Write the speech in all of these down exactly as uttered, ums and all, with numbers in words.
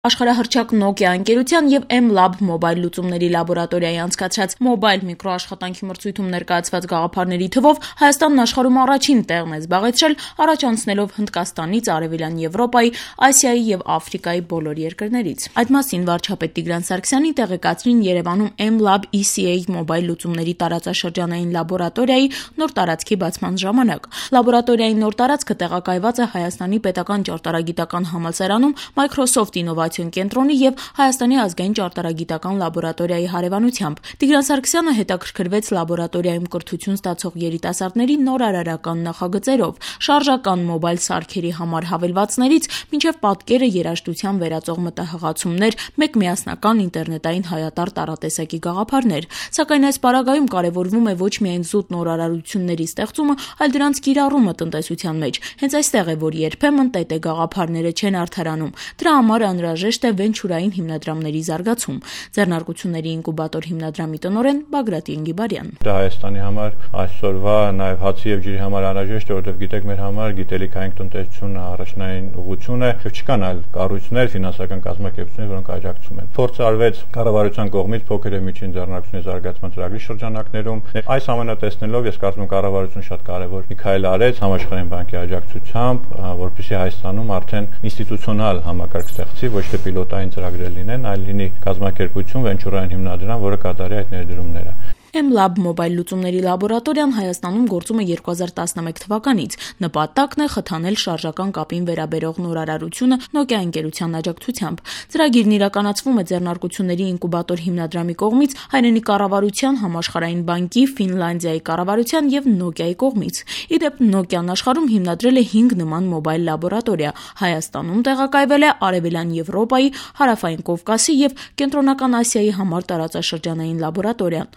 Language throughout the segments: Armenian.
Աշխարհահռչակ Nokia ընկերության և M-Lab մոբայլ լուծումների լաբորատորիայի անցկացրած մոբայլ միկրոաշխատանքի մրցույթում ներկայացված գաղափարների թվով Հայաստանն աշխարհում առաջին տեղն է զբաղեցրել, առաջ անցնելով Հնդկաստանից, Արևելյան Եվրոպայի, Ասիայի և Աֆրիկայի բոլոր երկրներից։ Այդ մասին վարչապետ Տիգրան Սարգսյանի տեղեկացրին Երևանում M-Lab E C A մոբայլ լուծումների տարածաշրջանային լաբորատորիայի նոր տարածքի բացման ժամանակ։ Լաբորատորիայի նոր տարածքը տեղակայված է Հայաստանի պետական ճարտարագիտական համալսարանում Microsoft ինովացիոն կենտրոնի և Հայաստանի ազգային ճարտարագիտական լաբորատորիայի հարևանությամբ։ Տիգրան Սարգսյանը հետաքրքրվեց լաբորատորիայում կրթություն ստացող երիտասարդների նորարարական նախագծերով՝ շարժական մոբայլ սարքերի համար հավելվածներից մինչև պատկերը երաժշտության վերածող մտահղացումներ, մեկ միասնական ինտերնետային հայատար տարատեսակի գաղափարներ։ Սակայն այս պարագայում կարևորվում է ոչ միայն զուտ նորարարությունների ստեղծումը, այլ դրանց կիրառումը տնտեսության մեջ։ Հենց այստեղ է, որ երբեմն ՏՏ գաղափարները չեն արդարանում։ Դրա համար անհրաժեշտ է վենչուրային հիմնադրամների զարգացում։ Ձեռնարկությունների ինկուբատոր հիմնադրամի տնօրեն Բագրատ Ենգիբարյան։ Դա Հայաստանի համար այսօրվա նաև հացի եւ ջրի համար անհրաժեշտ է, որովհետեւ գիտեք, մեր համար գիտելիքային տնտեսությունը առաջնային ուղղություն է, եւ չկան այլ կառույցներ, ֆինանսական կազմակերպություններ, որոնք աջակցում են։ Փորձ արվեց կառավարության կողմից փոքր եւ միջին ձեռնարկությունների զարգացման ծրագրի շրջանակներում։ Այս ամենը տեսնելով ես կարծում եմ կառավարությունը շատ կարևոր մի քայլ արեց համաշխարհային բանկի աջակցությամբ, որպեսզի Հայաստանում արդեն ինստիտուցիոնալ համակարգ ստեղծի, ոչ թե պիլոտային ծրագրեր լինեն, այլ լինի կազմակերպություն, վենչուրային հիմնադրամ, որը կատարի այդ ներդրումները։ M-Lab մոբայլ լուծումների լաբորատորիան Հայաստանում գործում է երկու հազար տասնմեկ թվականից։ Նպատակն է խթանել շարժական կապին վերաբերող նորարարությունը Nokia ընկերության աջակցությամբ։ Ծրագիրն իրականացվում է ձեռնարկությունների ինկուբատոր հիմնադրամի կողմից, հայրենի կառավարության, Համաշխարհային բանկի, Ֆինլանդիայի կառավարության եւ Nokia-ի կողմից։ Ի դեպ, Nokia-ն աշխարհում հիմնադրել է հինգ նման մոբայլ լաբորատորիա։ Հայաստանում տեղակայվել է Արևելյան Եվրոպայի, Հարավային Կովկասի եւ Կենտրոնական Ասիայի համար տարածաշրջանային լաբորատորիան։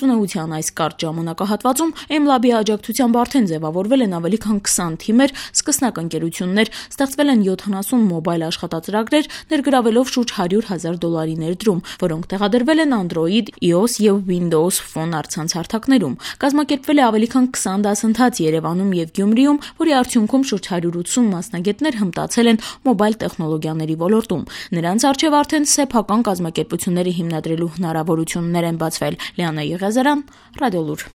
Գործունեության այս կարճ ժամանակահատվածում M-Lab-ի աջակցությամբ արդեն ձևավորվել են ավելի քան քսան թիմեր, սկսնակ ընկերություններ, ստեղծվել են յոթանասուն մոբայլ աշխատածրագրեր, ներգրավելով շուրջ հարյուր հազար դոլարի ներդրում, որոնք տեղադրվել են Android, iOS եւ Windows Phone առցանց հարթակներում։ Կազմակերպվել է ավելի քան քսան դասընթաց Երևանում եւ Գյումրիում, որի արդյունքում շուրջ հարյուր ութսուն մասնագետներ հմտացել են մոբայլ տեխնոլոգիաների ոլորտում։ Նրանց առջև արդեն սեփական կազմակերպությունները հիմնադրելու հնարավորություններ են բացվել։ Լիանա Եղիազարյան, Ռադիոլուր։